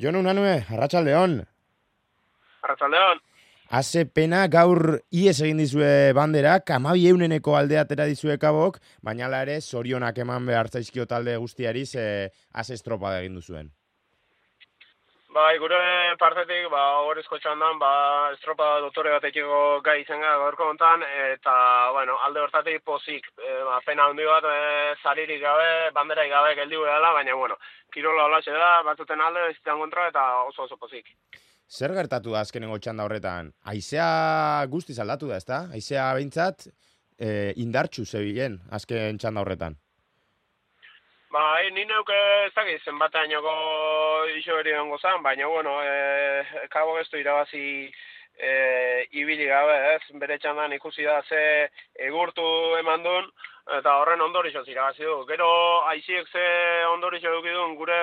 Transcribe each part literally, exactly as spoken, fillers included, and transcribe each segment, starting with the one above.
Jon Unanue, arratsaldeon. Arratsaldeon. Haze pena gaur ies egin dizue banderak, hamabi euneneko alde atera dizue kabok, baina hala ere zorionak eman behar zaizkio talde guztiari ze haze estropada egin duzuen. Bai, gure partetik, ba, horrezko txandan, ba, estropa dotore batekiko gai izan gara gaurko hontan, eta, bueno, alde hortatik pozik, e, ba, pena handi bat, e, zaririk gabe, banderaik gabe geldiu edala, baina, bueno, kirola holatxe da, batzuten alde, zitan kontra, eta oso oso pozik. Zer gertatu da azkenengo txanda horretan? Haizea guztiz aldatu da, ezta? Haizea behintzat e, indartxu zebilen azken txanda horretan. Ba, e, ni neuke ez dakiz, zenbatainoko iso hori dongo zan, baina, bueno, e, kabo gestu irabazi e, ibili gabe, ez? Bere txandan ikusi da ze egurtu eman duen, eta horren ondorixoz irabazi du. Gero, aiziek ze ondorixo dukidun gure,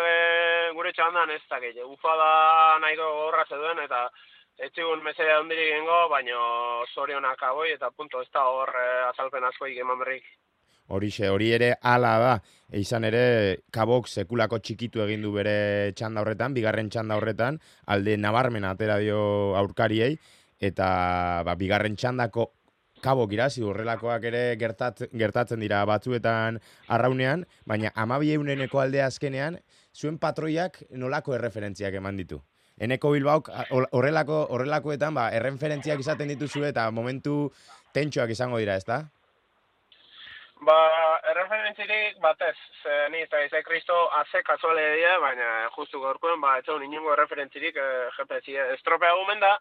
gure txandan ez dakiz. Ufada nahiko gorra zeduen, eta ez zigun mesea ondirik gengo, baina zorionak aboi, eta punto ez da hor e, azalpen askoik eman berrik. Horixe, hori ere hala da, e, izan ere kabok sekulako txikitu egin du bere txanda horretan, bigarren txanda horretan, alde nabarmena atera dio aurkariei, eta ba, bigarren txandako kabok irazi horrelakoak ere gertat, gertatzen dira batzuetan arraunean, baina hamabi euneneko aldea azkenean, zuen patroiak nolako erreferentziak eman ditu. Eneko Bilbaok horrelako, horrelakoetan ba, erreferentziak izaten dituzu eta momentu tentxoak izango dira, ezta? Ba, erreferentzirik batez, ze ni eta izai kristo haze kasuale dira, baina justu gaurkoen, ba, etxeun inungo erreferentzirik e, G P S estropea gumen da,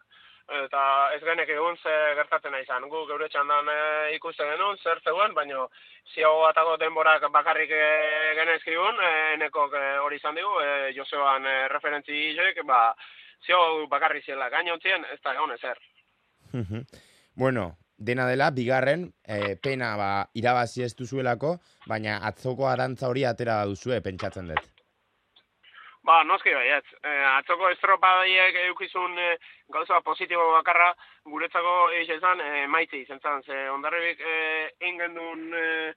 eta ez genek egun ze gertatzen nahi izan. Gu geure txandan e, ikusten genuen, zer zegoen, baina ziago batago denborak bakarrik e, genezkigun, e, enekok e, hori izan digu, e, Joseoan e, referentzi izek, ba, ziago bakarrik ziela gainontzien, ez da egon ezer. Bueno, dena dela, bigarren, e, pena ba, irabazi ez duzuelako, baina atzoko arantza hori atera duzue, pentsatzen dut. Ba, noski baietz. E, atzoko estropadiek eukizun e, gauza positibo bakarra, guretzako eiz ezan e, maitzi izan zan. Ze ondarribik e, ingendun, e,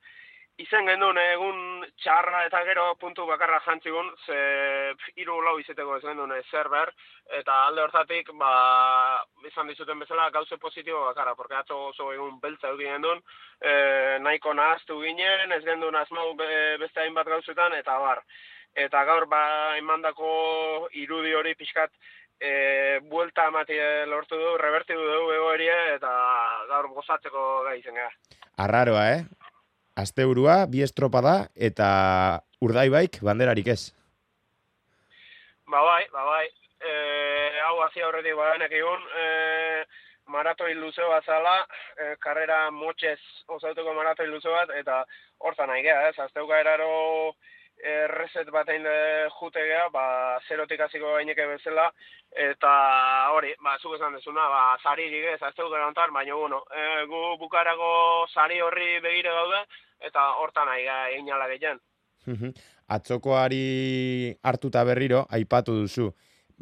izen gendun egun txarra eta gero puntu bakarra jantzigun, ze hiru lau izeteko ez gendun zer ber, eta alde hortatik, ba, izan dizuten bezala gauze positibo bakarra, porque atzo oso egun beltza eukin gendun, e, nahiko nahaztu ginen, ez gendun asmau be, beste hainbat gauzetan, eta bar. Eta gaur ba emandako irudi hori pixkat e, buelta amati lortu du, revertidu dugu egoeria, eta gaur gozatzeko gai izan gara. Arraroa, eh? Asteburua, bi estropada, eta Urdaibaik banderarik ez. Ba bai, ba bai. E, hau hazi aurretik badanek egun, e, maratoi luze bat zala, e, karrera motxez osatuko maratoi luze bat, eta hortan nahi geha, ez? Azteuka eraro reset bat egin jute geha, ba, zerotik hasiko gaineke bezala, eta hori, ba, zuk esan dezuna, ba, zaririk ez, azteu gerantar, baina, bueno, e, gu bukarako zari horri begire gaude, eta hortan nahi egin ala gehien. Atzokoari hartuta berriro, aipatu duzu,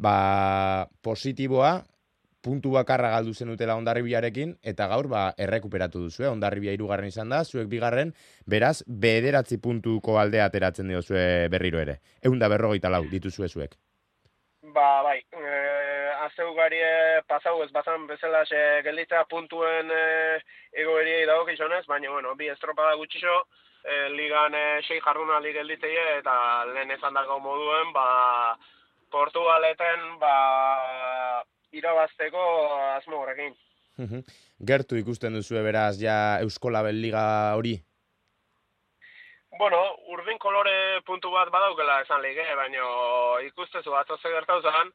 ba, positiboa, puntu bakarra galdu zenutela Hondarribiarekin, eta gaur ba, errekuperatu duzu, eh? Hondarribia hirugarren izan da, zuek bigarren, beraz, bederatzi puntuko aldea ateratzen diozue berriro ere. Ehun da berrogeita lau dituzue zuek. Ba, bai, e, azteugari pasau ez bazan bezala xe gelditza puntuen e, egoeriei dago gizonez, baina, bueno, bi estropada gutxixo, e, ligan e, sei jardunaldi gelditzeie, eta lehen esan dago moduen, ba, Portugaleten, ba, irabazteko asmo horrekin. Gertu ikusten duzue beraz ja Eusko Label Liga hori? Bueno, urdin kolore puntu bat badaukela esan lige, baina ikustezu atzo ze gertau zan,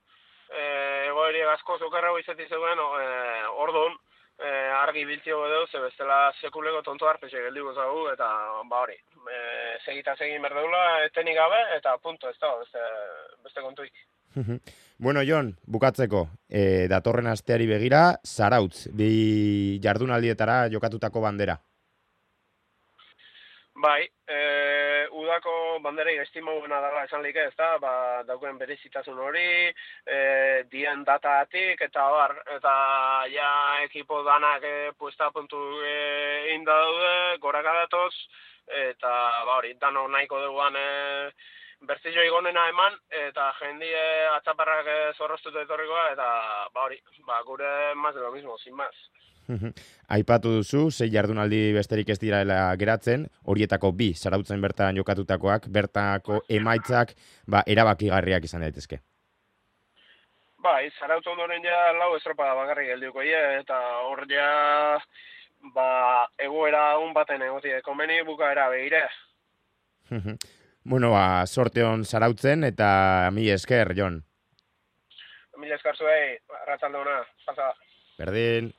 e, egoeri asko zukerrau izeti zegoen, e, orduan, e, argi biltzio godeu, ze bestela sekuleko tonto harpexe geldigu zagu, eta ba hori, e, segita segin berdeula, etenik gabe, eta punto, ez da, beste, beste kontuik. Bueno, Jon, bukatzeko, e, datorren asteari begira, Zarautz, bi jardunaldietara jokatutako bandera. Bai, e, udako banderei estimauena dela esan like, ez da, ba, daukuen berezitasun hori, e, dien dataatik, eta bar, eta ja ekipo danak e, puesta puntu e, inda daude, goraka datoz, eta ba hori, dano nahiko duguan e, bertzio igonena eman, eta jendie atzaparrak zorroztuta etorrikoa, eta ba hori, ba gure más de lo mismo, sin más. Aipatu duzu, sei jardunaldi besterik ez direla geratzen, horietako bi Zarautzen bertan jokatutakoak, bertako emaitzak ba, erabakigarriak izan daitezke. Bai, Zarautz ondoren ja lau estropada bakarrik geldiuko ie, eta hor ja ba, egoera un baten egotie, komeni bukaera behire. Bueno, ba, sorte hon Zarautzen, eta mi esker, Jon. Mila esker zuei, arratsalde ona, pasa. Berdin.